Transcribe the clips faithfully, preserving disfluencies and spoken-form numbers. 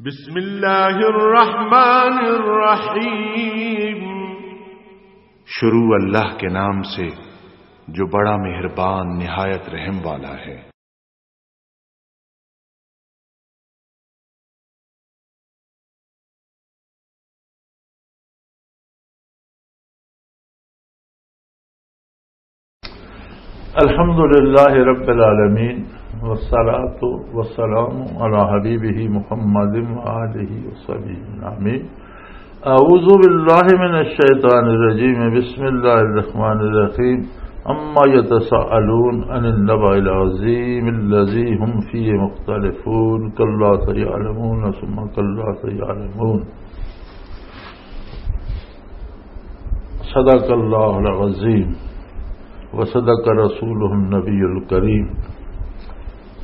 بسم اللہ الرحمن الرحیم۔ شروع اللہ کے نام سے، جو بڑا مہربان، نہایت رحم والا ہے۔ الحمد لله رب العالمين، والصلاة والسلام على حبيبه محمد وآله وصحبه أجمعين. أعوذ بالله من الشيطان الرجيم. بسم الله الرحمن الرحيم. أما يتساءلون عن النبأ العظيم الذي هم فيه مختلفون. كلا سيعلمون ثم كلا سيعلمون. صدق اللہ العظیم و صدق رسولہ النبی الکریم۔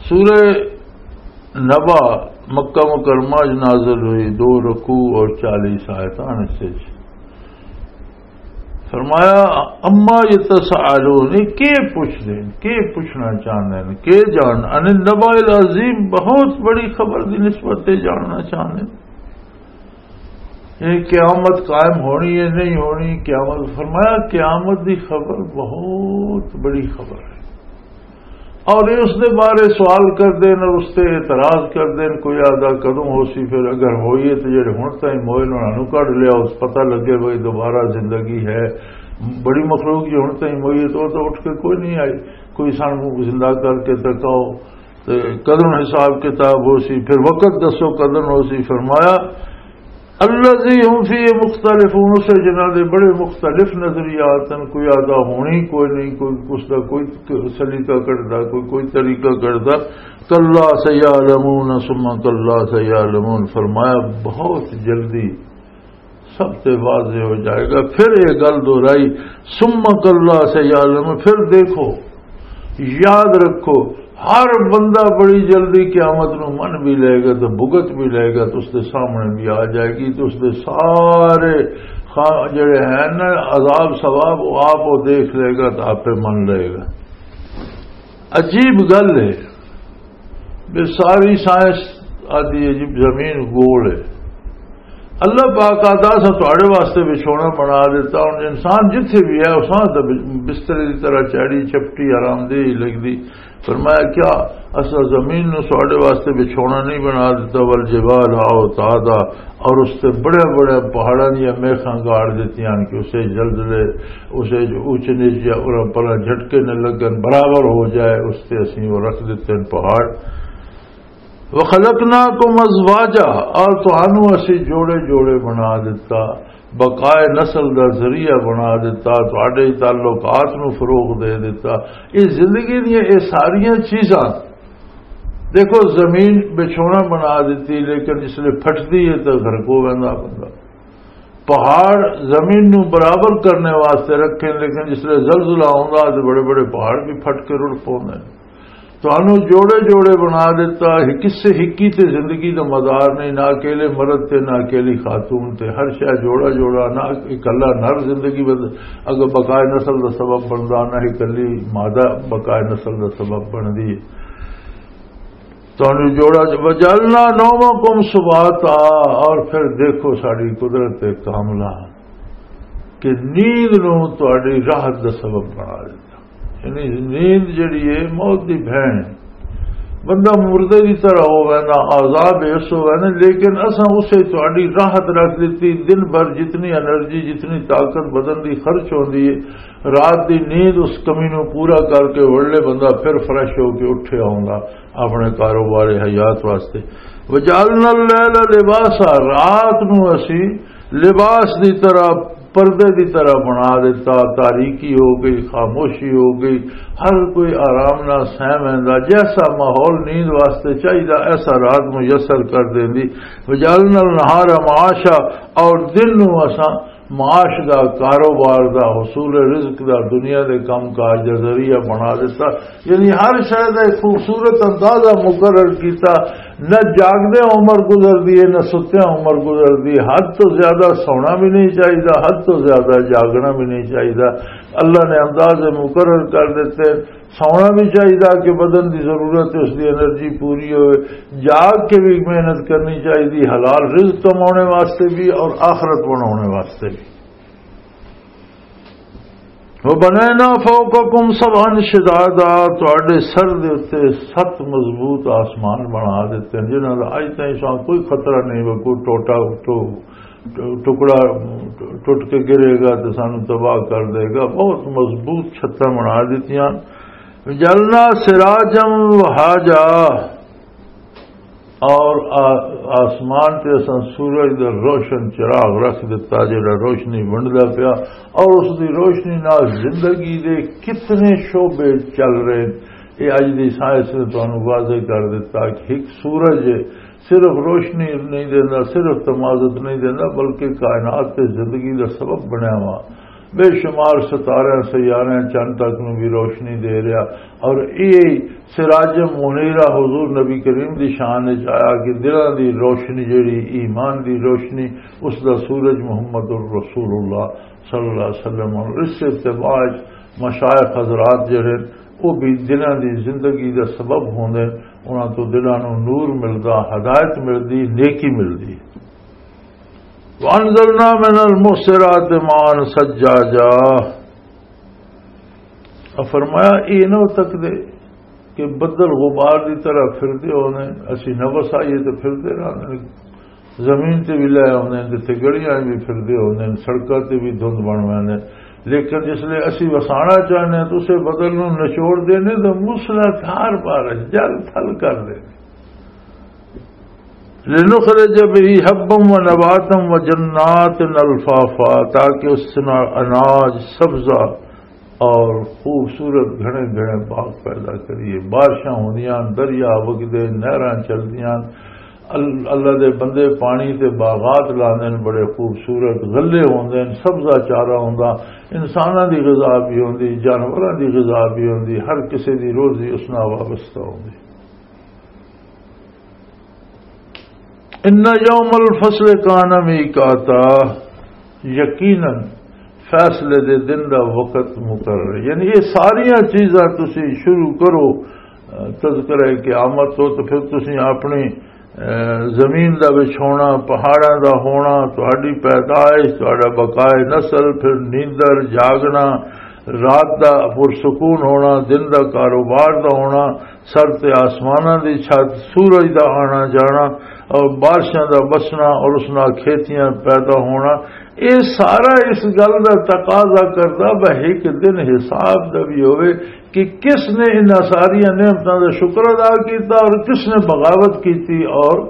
سورہ نبا مکہ مکرمہ وچ نازل ہوئی، دو رکوع اور چالیس آیتاں اس وچ۔ فرمایا، اما یتساءلون، یہ کی پوچھدے نے، کی پوچھنا چاہندے نے، کی جان، عن النبأ العظیم، بہت بڑی خبر دی نسبت تے جاننا چاہندے نے۔ یہ قیامت قائم ہونی ہے، نہیں ہونی قیامت؟ فرمایا، قیامت دی خبر بہت بڑی خبر ہے۔ اور یہ اس دے بارے سوال کر دین اور اس تے اعتراض کر دین، کوئی آدھا کدوں ہو سی، پھر اگر ہوئی ہے تو جڑے ہن تائیں موئے نے انہاں نوں کڈ لیا، اس پتہ لگے بھئی دوبارہ زندگی ہے۔ بڑی مخلوق جی ہن تائیں موئی ہے تو، تو اٹھ کے کوئی نہیں آئی، کوئی سان کو زندہ کر کے تکاؤ۔ تے کدوں حساب کتاب ہو سی، پھر وقت دسو کدوں ہو سی۔ فرمایا، الذی هم فیہ مختلفون، اسے جنہاں دے بڑے مختلف نظریات ہیں، کوئی آدھا ہونی کوئی نہیں، کوئی اس دا کوئی سلیقہ کٹدا، کوئی کوئی طریقہ کٹدا۔ کلا سیعلمون ثم کلا سیعلمون، فرمایا بہت جلدی سب تے واضح ہو جائے گا۔ پھر یہ گل دہرائی، ثم کلا سیعلمون، پھر دیکھو، یاد رکھو، ہر بندہ بڑی جلدی قیامت نو من بھی لے گا، تو بھگت بھی لے گا، تو اس دے سامنے بھی آ جائے گی، تو اس دے سارے خا-، جڑے ہیں نا عذاب ثواب، وہ آپ وہ دیکھ لے گا تو آپ پہ من لے گا۔ عجیب گل ہے، بے ساری سائنس آدھی ہے جی زمین گول ہے۔ اللہ پاک آتا، اساں تہاڈے واسطے وچھونا بنا دیتا۔ ہن انسان جتھے بھی ہے، اساں تے بسترے دی طرح چاڑی چپٹی آرام دہ ہی لگدی۔ فرمایا، کیا اساں زمین نو تہاڈے واسطے وچھونا نہیں بنا دیتا؟ والجبال اوتادا، اور اس تے بڑے بڑے پہاڑاں دیاں میخاں گاڑ دتیاں کہ اسے زلزلے، اسے جو اونچ نیچ یا اوراں پراں جھٹکے نہ لگن، برابر ہو جائے، اس تے اسیں وہ رکھ دیتے ہیں پہاڑ۔ وَخَلَقْنَاكُمْ أَزْوَاجًا، اور تہانوں اسی جوڑے جوڑے بنا دیتا، بقائے نسل دا ذریعہ بنا دیتا، تہاڈے تعلقات نوں فروغ دے دیتا۔ یہ زندگی دیاں یہ ساریاں چیزاں، دیکھو، زمین بچھونا بنا دیتی، لیکن جس لے پھٹدی ہے تو گھر کو ویندا بندہ۔ پہاڑ زمین نو برابر کرنے واسطے رکھے، لیکن جس لے زلزلہ آوندا تے بڑے بڑے پہاڑ بھی پھٹ کے رڑ پوندے نے۔ تانوں جوڑے جوڑے بنا دیتا، ہک سے ہکی تے زندگی دا مدار نہیں، نہ اکیلے مرد تے نہ اکیلی خاتون تے، ہر شے جوڑا جوڑا، نہ اکلا نر زندگی بد-، اگر بقائے نسل دا سبب بندا، نہ اکلی مادہ بقائے نسل دا سبب بندی۔ تانوں جوڑا، وجعلنا نومکم سباتا، اور پھر دیکھو ساڈی قدرت کاملہ کہ نیند نو تہاڈی راحت دا سبب بنا دیتا۔ یعنی نیند جڑی ہے موت دی بہن ہے۔ بندہ مردے دی طرح ہو ویندا، عذاب اس ہو ویندے، لیکن اساں اسے تہاڈی راحت رکھ دتی۔ دن بھر جتنی انرجی، جتنی طاقت بدن دی خرچ ہوندی ہے، رات دی نیند اس کمی نو پورا کر کے وڑلے بندہ پھر فریش ہو کے اٹھے آوندا اپنے کاروبار حیات واسطے۔ وجعلنا اللیل لباسا، رات نو اسی لباس دی طرح، پردے دی طرح بنا دیتا، تاریکی ہو گئی، خاموشی ہو گئی، ہر کوئی آرام نال سہ ویندا، جیسا ماحول نیند واسطے چاہیدا ایسا رات میسر کر دیندی۔ وجعلنا النہار معاشا، اور دن نو اساں معاش دا، کاروبار دا، حصول رزق دا، دنیا دے کم کاج دا ذریعہ بنا دیتا۔ یعنی ہر شے دا ایک خوبصورت اندازہ مقرر کیتا۔ نہ جاگدے عمر گزردی ہے، نہ ستیاں عمر گزردی۔ حد تو زیادہ سونا بھی نہیں چاہیدا، حد تو زیادہ جاگنا بھی نہیں چاہیدا۔ اللہ نے انداز مقرر کر دیتے۔ سونا بھی چاہیدا کہ بدن دی ضرورت ہے، اس دی انرجی پوری ہوئے۔ جاگ کے بھی محنت کرنی چاہیدی، حلال رزق کمانے واسطے بھی اور آخرت بنانے واسطے بھی۔ وَبَنَيْنَا فَوْقَكُمْ سَبْعًا شِدَادًا، تہاڈے سر دے اُتے ست مضبوط آسمان بنا دتے ہیں، جنہاں دا اج تائیں سانوں کوئی خطرہ نہیں، وہ کوئی ٹوٹا ٹو-، ٹکڑا ٹوٹ کے گرے گا تے سانوں تباہ کر دے گا۔ بہت مضبوط چھتاں بنا دتیاں۔ جلنا سراجم وہاجا، اور آ-، آسمان تے اساں سورج دا روشن چراغ رکھ دتا، جڑا روشنی ونڈدا پیا، اور اس دی روشنی نال زندگی دے کتنے شعبے چل رہے ہیں۔ یہ اج دی سائنس نے تانوں واضح کر دتا کہ ایک سورج صرف روشنی نہیں دیندا، صرف تمازت نہیں دیندا، بلکہ کائنات تے زندگی دا سبب بنیا ہوا۔ بے شمار ستارے، سیارے، چند تک نوں بھی روشنی دے رہا۔ اور یہ سراج منیرہ حضور نبی کریم دی شان وچ آیا کہ دلاں دی روشنی، جڑی ایمان دی روشنی، اس دا سورج محمد الرسول اللہ صلی اللہ علیہ وسلم۔ اور اس اتباع وچ مشائخ حضرات جڑے، وہ بھی دلاں دی زندگی دا سبب ہوندے، انہاں تو دلاں نوں نور ملدا، ہدایت ملدی، نیکی ملدی۔ وَأَنزَلْنَا مِنَ الْمُعْصِرَاتِ مَاءً ثَجَّاجًا۔ اور فرمایا، یہ نہ ہو سکتے کہ بدل غبار دی طرح پھردے ہونے، اسی نہ وسائیے تے پھردے رہنے، زمین تے بھی لے آنے، جتھے گڑیاں بھی پھردے ہونے، سڑکاں تے بھی دھند بن ویندے۔ لیکن جس لے اسی وسانا چاہنے ہیں تو اسے بدل نوں نچوڑ دینے تو موسلا دھار بارش جل تھل کر دینے۔ لنخرج به حبا ونباتا وجنات الفافا، تاکہ اس نال اناج، سبزہ اور خوبصورت گھنے گھنے باغ پیدا کریے۔ بارشاں ہوندیاں، دریا وگدے، نہراں چلدیاں، ال-، اللہ دے بندے پانی تے باغات لاندے نے، بڑے خوبصورت غلے ہوندے نے، سبزہ چارہ ہوندا، انساناں دی غذا بھی ہوندی، جانوراں دی غذا بھی ہوندی، ہر کسے دی روزی اس نال وابستہ ہوندی۔ ان یوم الفصل کان میقاتا، یقیناً فیصلے دے دن دا وقت مقرر ہے۔ یعنی یہ ساریاں چیزاں تسی شروع کرو، اہ، تذکرہ قیامت تو، تو پھر تسی اپنی، اہ، زمین دا وچھونا، پہاڑاں دا ہونا، تہاڈی پیدائش، تہاڈا بقائے نسل، پھر نیندر، جاگنا، رات دا پرسکون ہونا، دن دا کاروبار دا ہونا، سر تے آسماناں دی چھت، سورج دا آنا جانا اور بارشاں دا بسنا اور اس نال کھیتیاں پیدا ہونا، اے سارا اس گل دا تقاضا کردا بھئی ایک دن حساب دا بھی ہوئے کہ کس نے انہاں ساریاں نعمتاں دا شکر ادا کیتا اور کس نے بغاوت کیتی اور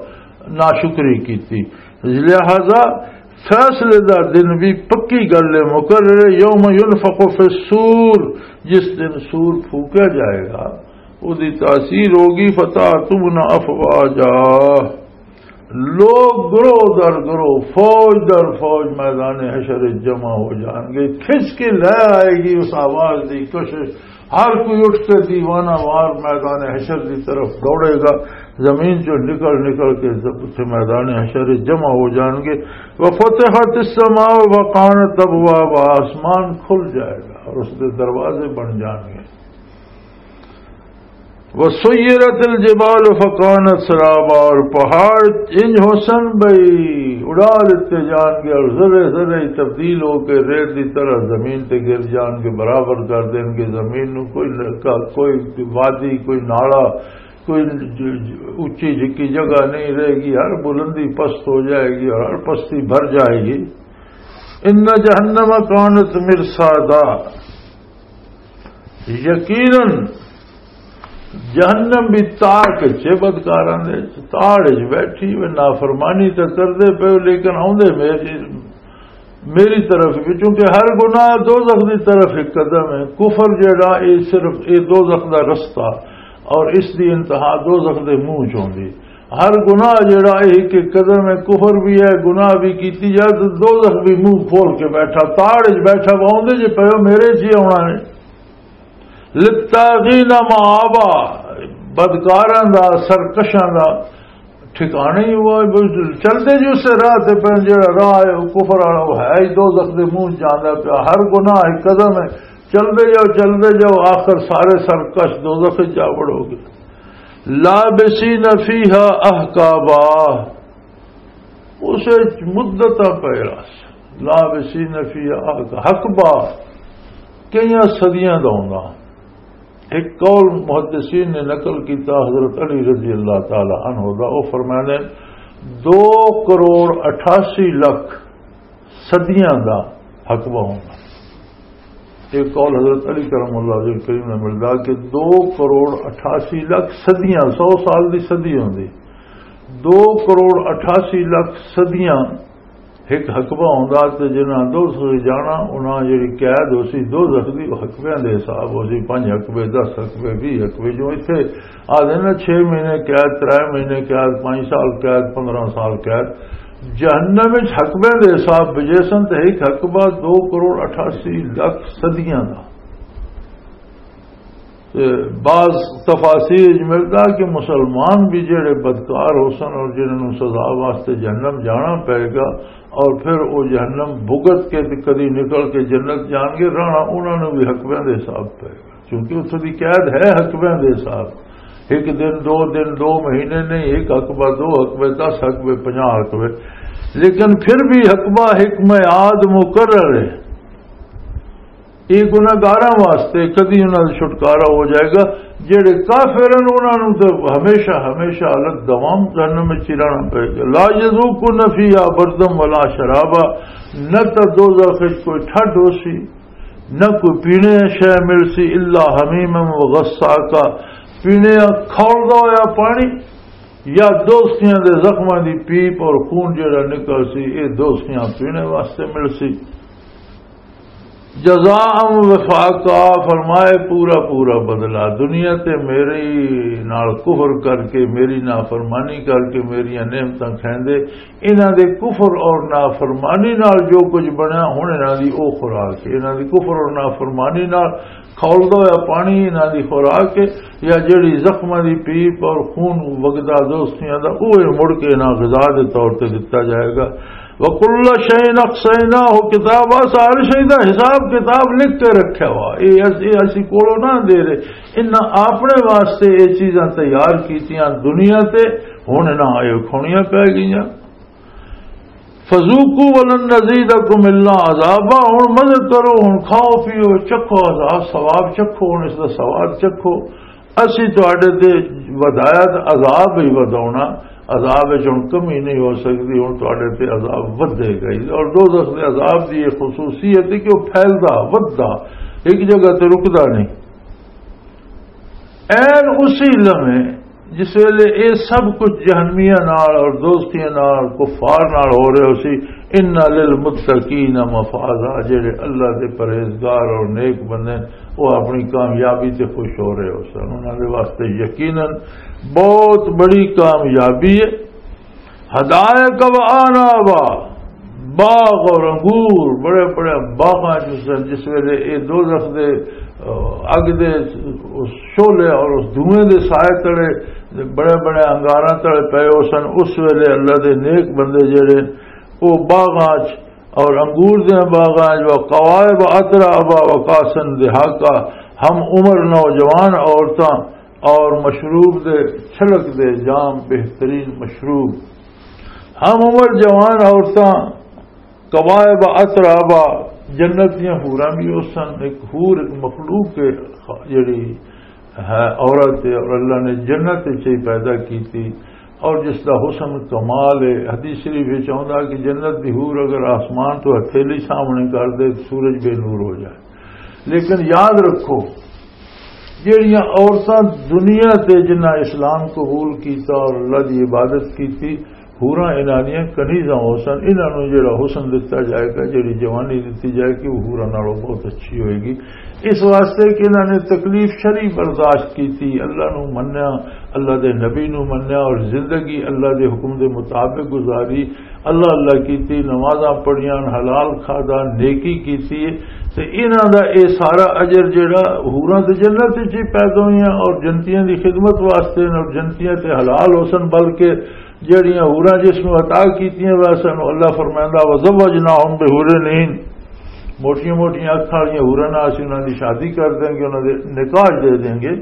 ناشکری کیتی۔ لہذا فیصلے دا دن بھی پکی گل ہے، مقرر ہے۔ یوم ینفخ فی الصور، جس دن سور پھونکا جائے گا، اس دی تاثیر ہوگی، فتاتون افواجا، لوگ گروہ در گروہ، فوج در فوج میدان حشر وچ جمع ہو جان گے۔ کھچ کے لے آئے گی اس آواز دی کشش، ہر کوئی اٹھ کے دیوانہ وار میدان حشر دی طرف دوڑے گا، زمین چوں نکل نکل کے اتھے میدان حشر وچ جمع ہو جان گے۔ وفتحت السماء وکانت ابوابا، آسمان کھل جائے گا اور اس دے دروازے بن جان گے۔ وسیرت الجبال فکانت سرابا، اور پہاڑ انج ہوسن بھئی اڑا لیتے جان گے اور ذرے ذرے ہی تبدیل ہو کے ریت دی طرح زمین تے گر جان گے، برابر کر دین گے زمین نو۔ کوئی لڑکا، کوئی وادی، کوئی نالا، کوئی ج-، ج-، اچی جھکی جگہ نہیں رہے گی، ہر بلندی پست ہو جائے گی اور ہر پستی بھر جائے گی۔ ان جہنم کانت مرصادا، یقیناً جہنم بھی تاک چے بدکاراں دے، تاڑ وچ بیٹھی ہوئے، نافرمانی تے کردے پئے ہو، لیکن آوندے میری، میری طرف بھی، کیونکہ ہر گناہ دوزخ دی طرف ایک قدم ہے۔ کفر جڑا، اے صرف اے دوزخ دا رستہ اور اس دی انتہا دوزخ دے منہ چ ہوندی۔ ہر گناہ جڑا اے ایک قدم ہے، کفر بھی ہے، گناہ بھی کیتی جائے تو دوزخ بھی منہ کھول کے بیٹھا، تاڑ وچ بیٹھا، آوندے جے پئے ہو میرے جی آونا نے۔ للطاغین مآبا، بدکاراں دا، سرکشاں دا، ٹھکانے ہی ہوا۔ بس چلدے جو اسے راہ تے پے، جڑا راہ ہے وہ کفر والا، وہ ہے ہی دوزخ دے منہ چ جاندا پیا۔ ہر گناہ ایک قدم ہے، چلدے جاؤ، چلدے جاؤ، آخر سارے سرکش دوزخ وچ جا وڑو گے۔ لابسین فیہا احقابا، اسے مدتاں پے رہس۔ لابسین فیہا احقابا، کئی صدیاں دا ہوندا۔ ایک قول محدثین نے نقل کیتا حضرت علی رضی اللہ تعالی عنہ دا، وہ فرمانے، دو کروڑ اٹھاسی لکھ صدیاں دا حقبہ ہونا۔ ایک قول حضرت علی کرم اللہ وجہ کریم نے ملدا کہ دو کروڑ اٹھاسی لکھ صدیاں، سو سال دی صدی ہوندی، دو کروڑ اٹھاسی لکھ صدیاں ایک حقبہ ہوندا تے جنہاں دوزخ جانا، انہاں جڑی قید ہو سی دوزخ دی، او حقبیاں دے حساب ہو سی، پنج حقبے، دس حقبے، ویہہ حقبے، جو اتھے آ دے نا، چھ مہینے قید، ترے مہینے قید، پنج سال قید، پندرہ سال قید۔ جہنم وچ حقبیاں دے حساب بجے سن تے ایک حقبہ دو کروڑ اٹھاسی لکھ صدیاں دا۔ تے بعض تفاسیر وچ ملدا کہ مسلمان بھی جڑے بدکار ہو سن اور جنہاں نوں سزا واسطے جہنم جانا پئے گا، اور پھر وہ جہنم بھگت کے تے کدی نکل کے جنت جان گے، رہنا انہاں نوں بھی حقبیاں دے حساب پئے گا، کیونکہ اتھوں دی قید ہے حقبیاں دے حساب۔ ایک دن، دو دن، دو مہینے نہیں، ایک حقبہ، دو حقبے، دس حقبے، پنجاہ حقبے، لیکن پھر بھی حقبہ ایک میعاد مقرر ہے۔ یہ گناہگاراں واسطے کدی انہاں دا چھٹکارا ہو جائے گا۔ جڑے کافر ہیں، انہاں نوں تے ہمیشہ، ہمیشہ حالت دوام جہنم وچ ہی رہنا پئے گا۔ لا یذوقون فیہا بردا ولا شرابا، نہ تے دوزخ وچ کوئی ٹھڈ ہو سی، نہ کوئی پینے شے مل سی، الا حمیما و غساقا، پینے کھولدا ہویا پانی یا دوستیاں دے زخماں دی پیپ اور خون جڑا نکل سی، اے دوستیاں پینے واسطے مل سی۔ جزاء وفاقا، فرمائے پورا پورا بدلہ۔ دنیا تے میرے نال کفر کر کے، میری نافرمانی کر کے، میریاں نعمتاں کھیندے، انہاں دے کفر اور نافرمانی نال جو کچھ بنیا، ہن انہاں دی او خوراک ہے۔ انہاں دی کفر اور نافرمانی نال کھولدا ہویا پانی انہاں دی خوراک ہے، یا جڑی زخماں دی پیپ اور خون وگدا دوستیاں دا، اوہ مڑ کے انہاں غذا دے طور تے دتا جائے گا۔ وَكُلَّ شَيْءٍ أَحْصَيْنَاهُ كِتَابًا، سارے شے دا حساب کتاب لکھ کے رکھیا ہوا۔ اے اس-، اے اسی کولوں نہ دے رہے، انہاں اپنے واسطے اے چیزاں تیار کیتیاں دنیا تے، ہن انہاں اے کھونیاں پے گئیاں۔ فذوقوا ولن نزيدكم إلا عذابا، ہن مزے کرو، ہن کھاؤ پیو، چکھو عذاب، ثواب چکھو، ہن اس دا ثواب چکھو۔ اسی تہاڈے تے ودایا تے عذاب ہی وداونا، عذاب وچ ہن کمی نہیں ہو سکدی، ہن تہاڈے تے عذاب ودے گا ہی۔ اور دوزخ دے عذاب دی یہ خصوصیت ہے کہ وہ پھیلدا، وددا، ایک جگہ تے رکدا نہیں۔ این اسی لمحے جس ویلے اے سب کچھ جہنمیاں نال اور دوزخیاں نال، کفار نال ہو رہے ہو سی، ان للمتقین مفازا، جڑے اللہ دے پرہیزگار اور نیک بندے، وہ اپنی کامیابی تے خوش ہو رہے ہو سن۔ انہاں دے واسطے یقیناً بہت بڑی کامیابی ہے۔ حدائق و اعنابا، باغ اور انگور، بڑے بڑے باغاں چ سن۔ جس ویلے اے دوزخ دے، آ، اگ دے اس شعلے اور اس دھوئیں دے سائے تلے، بڑے بڑے انگاراں تلے پئے ہو سن، اس ویلے اللہ دے نیک بندے جڑے، او باغاں چ اور انگور دے باغاں چ، و قوائب اترابا و کاسن دہاقا، ہم عمر نوجوان عورتاں اور مشروب دے چھلک دے جام، بہترین مشروب۔ ہم عمر جوان عورتاں، کواعب اترابا، جنت دیاں حوراں بھی اس سن۔ ایک حور، ایک مخلوق ہے، جڑی ہے عورت ہے، اور اللہ نے جنت وچ ہی پیدا کیتی، اور جس دا حسن کمال ہے۔ حدیث شریف وچ آوندا کہ جنت دی حور اگر آسمان تو ہتھیلی سامنے کر دے، سورج بے نور ہو جائے۔ لیکن یاد رکھو، جہڑیاں عورتاں دنیا تے جنہاں اسلام قبول کیتا اور اللہ دی عبادت کیتی، حوراں انہاں دیاں کنیزاں ہو سن، انہاں نوں جہڑا حسن دتا جائے گا، جہڑی جوانی دتی جائے گی، وہ حوراں نالوں بہت اچھی ہوئے گی۔ اس واسطے کہ انہاں نے تکلیف شری برداشت کیتی، اللہ نو منیا، اللہ دے نبی نو منیا اور زندگی اللہ دے حکم دے مطابق گزاری۔ اللہ اللہ کیتی، نمازاں پڑھیاں، حلال کھادا، نیکی کیتی ہے۔ تے انہاں دا اے سارا اجر جڑا، حوراں تے جنت وچ ہی پیدا ہوئیاں اور جنتیاں دی خدمت واسطے نے اور جنتیاں تے حلال ہو سن، بلکہ جڑیاں حوراں جس نوں عطا کیتیاں ویسن، اللہ فرمائندا، "وزوجناہم بحور عین"، موٹیاں موٹیاں اکھاں والیاں حوراں نال اسی انہاں دی شادی کر دیں گے، انہاں دے نکاح دے دیں گے۔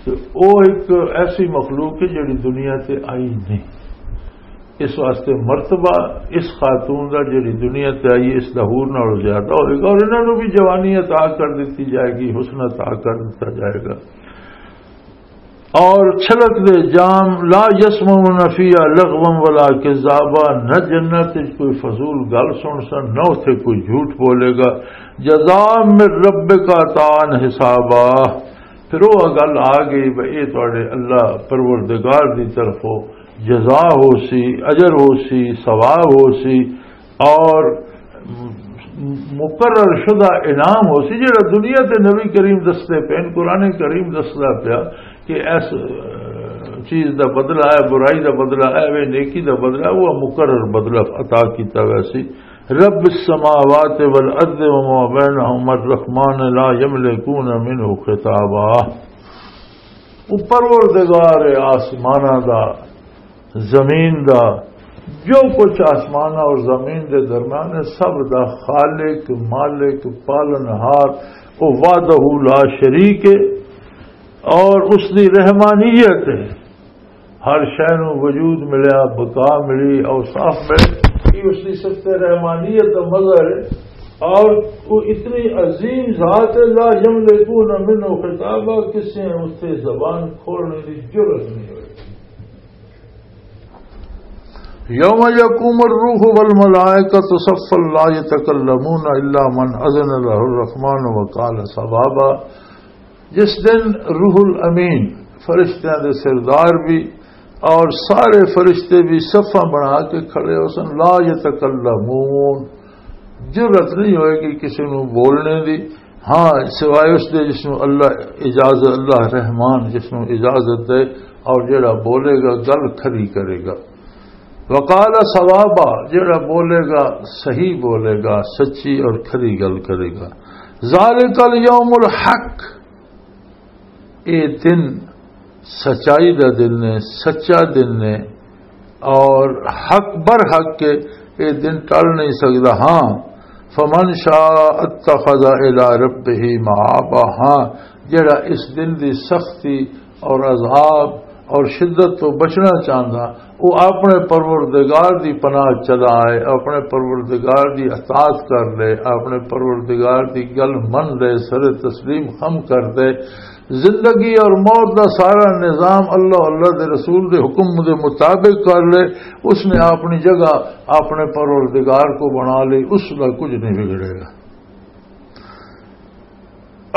تے او ایک ایسی مخلوق ہے جڑی دنیا تے آئی نہیں۔ اس واسطے مرتبہ اس خاتون دا جڑی دنیا تے آئی، اس دا حور نالوں زیادہ ہوئے گا، اور انہاں نوں بھی جوانی عطا کر دتی جائے گی، حسن عطا کر دتا جائے گا۔ اور چھلک دے جام، لا یسمعون فیہا لغوا ولا کذابا، نہ جنت وچ کوئی فضول گل سن سن، نہ اتھے کوئی جھوٹ بولے گا۔ جزاء من ربک عطاء حسابا۔ پھر وہ گل آ گئی بھئی، یہ تواڈے اللہ پروردگار دی طرفوں جزا ہو سی، اجر ہو سی، ثواب ہو سی، اور مقرر شدہ انعام ہو سی، جڑا دنیا تے نبی کریم دستے پین، قرآن کریم دسدا پیا کہ اس، اہ، چیز دا بدلہ ہے، برائی دا بدلہ ہے، وہ نیکی دا بدلہ ہے، وہ مقرر بدلہ عطا کیتا گیا سی۔ رب السماوات والارض وما بینہما الرحمن لا یملکون منہ خطابا۔ وہ پروردگار آسماناں دا، زمین دا، جو کچھ آسماناں اور زمین دے درمیان ہے، سب دا خالق، مالک، پالنہار، وہ وحدہ لا شریک ہے اور اس دی رحمانیت ہے۔ ہر شے نوں وجود ملیا، بقا ملی، اوصاف ملے، یہ اس دی صفت رحمانیت دا مظہر ہے۔ اور وہ اتنی عظیم ذات ہے، لا یملکون منہ خطابا، کسی نے اس سے زبان کھولنے کی جرات نہیں ہوئی۔ یوم یقوم الروح والملائکۃ صفا لا یتکلمون الا من اذن لہ الرحمن وقال صوابا۔ جس دن روح الامین، فرشتیاں دے سردار بھی اور سارے فرشتے بھی صفاں بنا کے کھڑے ہو سن، لا یتکلمون، جرات نہیں ہوئے گی کسی نو بولنے دی، ہاں، سوائے اس دے جس نو اللہ اجازت، اللہ رحمان جس نو اجازت دے، اور جڑا بولے گا گل کھری کرے گا۔ وقال صوابا، جڑا بولے گا صحیح بولے گا، سچی اور کھری گل کرے گا۔ ذالک الیوم الحق، اے دن سچائی دا دن نے، سچا دن نے، اور حق بر حق کے، اے دن ٹل نہیں سکدا۔ ہاں، فمن شاء اتخذ الی ربہ مآبا، ہاں، جڑا اس دن دی سختی اور عذاب اور شدت تو بچنا چاہندا، وہ اپنے پروردگار دی پناہ چلا آئے، اپنے پروردگار دی اطاعت کر لے، اپنے پروردگار دی گل من لے، سر تسلیم خم کر دے۔ زندگی اور موت دا سارا نظام اللہ، اللہ دے رسول دے حکم دے مطابق کر لے، اس نے اپنی جگہ اپنے پروردگار کو بنا لی، اس دا کچھ نہیں بگڑے گا۔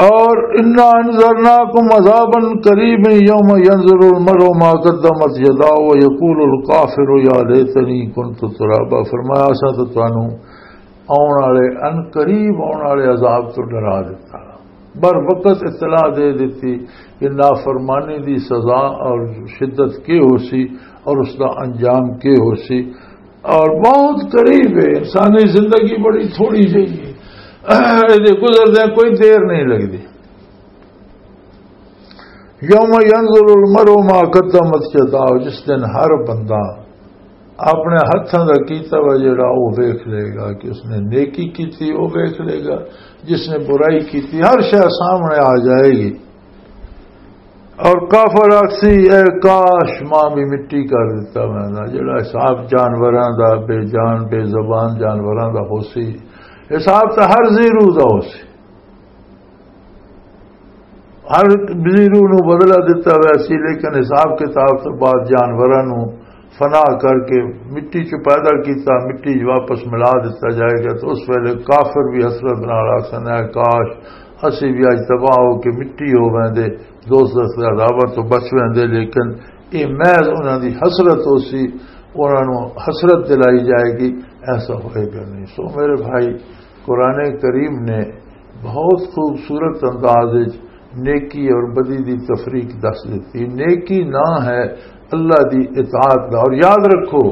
اور انا انذرناکم عذابا قریبا یوم ینظر المرء ما قدمت یداہ ویقول الکافر یا لیتنی کنت ترابا۔ فرمایا، اساں تو تانوں آن والے، ان قریب آن والے عذاب تو ڈرا دیتا، بر وقت اطلاع دے دیتی کہ نافرمانی دی سزا اور شدت کی ہو سی اور اس دا انجام کی ہو سی۔ اور بہت قریب ہے، انسانی زندگی بڑی تھوڑی جہی ہے، یہ گزردے کوئی دیر نہیں لگتی۔ یوم ینظر المرء ما قدمت یداہ، جس دن ہر بندہ اپنے ہتھاں دا کیتا وا جڑا وہ ویکھ لے گا کہ اس نے نیکی کیتی، وہ ویکھ لے گا، جس نے برائی کیتی، ہر شے سامنے آ جائے گی۔ اور کافر آکسی، اے کاش ماں بھی مٹی کر دیتا میں نا، جڑا حساب جانوراں دا، بے جان بے زبان جانوراں دا ہو سی، حساب تو ہر زیرو دا ہو سی۔ ہر زیرو نو بدلہ دتا ہوا سی، لیکن حساب کتاب تو بعد جانوراں نو فنا کر کے مٹی چ پیدا کیتا، مٹی چ واپس ملا دتا جائے گا۔ تو اس ویلے کافر بھی حسرت نال آکھن، اے کاش اسی بھی اج تباہ ہو کے مٹی ہو ویندے، دوزخ دے عذاباں تو بچ ویندے۔ لیکن اے محض انہاں دی حسرت ہو سی، انہاں نو حسرت دلائی جائے گی، ایسا ہوئے گا نہیں۔ سو میرے بھائی، قرآن کریم نے بہت خوبصورت انداز وچ نیکی اور بدی دی تفریق دس دتی۔ نیکی نہ ہے اللہ دی اطاعت دا۔ اور یاد رکھو،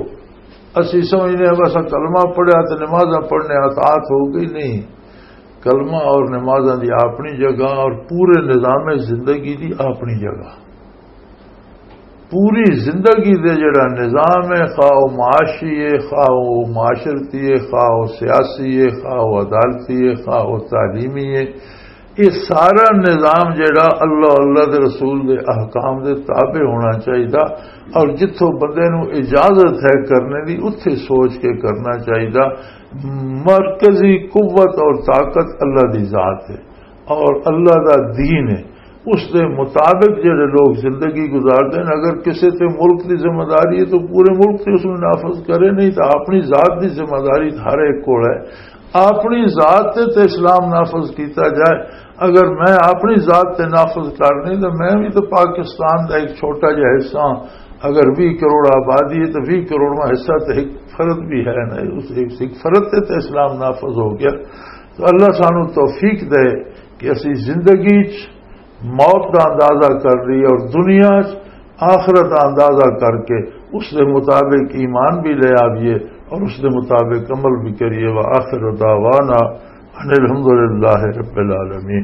اسی سمجھنے ہیں بس کلمہ پڑھیا تے نمازاں پڑھنے اطاعت ہو گئی، نہیں۔ کلمہ اور نمازاں دی اپنی جگہ اور پورے نظام زندگی دی اپنی جگہ۔ پوری زندگی دے جڑا نظام ہے، خواہ وہ معاشی ہے، خواہ وہ معاشرتی ہے، خواہ وہ سیاسی ہے، خواہ وہ عدالتی ہے، خواہ وہ تعلیمی ہے، یہ سارا نظام جڑا اللہ، اللہ دے رسول دے احکام دے تابع ہونا چاہیدا۔ اور جتھوں بندے نو اجازت ہے کرنے دی، اتھے سوچ کے کرنا چاہیدا۔ مرکزی قوت اور طاقت اللہ دی ذات ہے اور اللہ دا دین ہے۔ اس دے مطابق جڑے لوگ زندگی گزارتے ہیں، اگر کسی تے ملک دی ذمہ داری ہے تو پورے ملک تے اس نوں نافذ کرے، نہیں تو اپنی ذات دی ذمہ داری ہر ایک کول ہے۔ اپنی ذات تے تے اسلام نافذ کیتا جائے۔ اگر میں اپنی ذات تے نافذ کر نہیں تو میں بھی تو پاکستان دا ایک چھوٹا جہا حصہ ہاں۔ اگر ویہہ کروڑ آبادی ہے تو ویہہ کروڑواں حصہ تے ایک فرد بھی ہے نا، اس ایک، ایک فرد تے تے اسلام نافذ ہو گیا۔ تو اللہ سانو توفیق دے کہ اسی زندگی چ موت دا اندازہ کر لئیے اور دنیا چ آخرت دا اندازہ کر کے اس دے مطابق ایمان بھی لے آئیے اور اس دے مطابق عمل بھی کریے۔ وآخر دعوانا ان الحمد للہ رب العالمین۔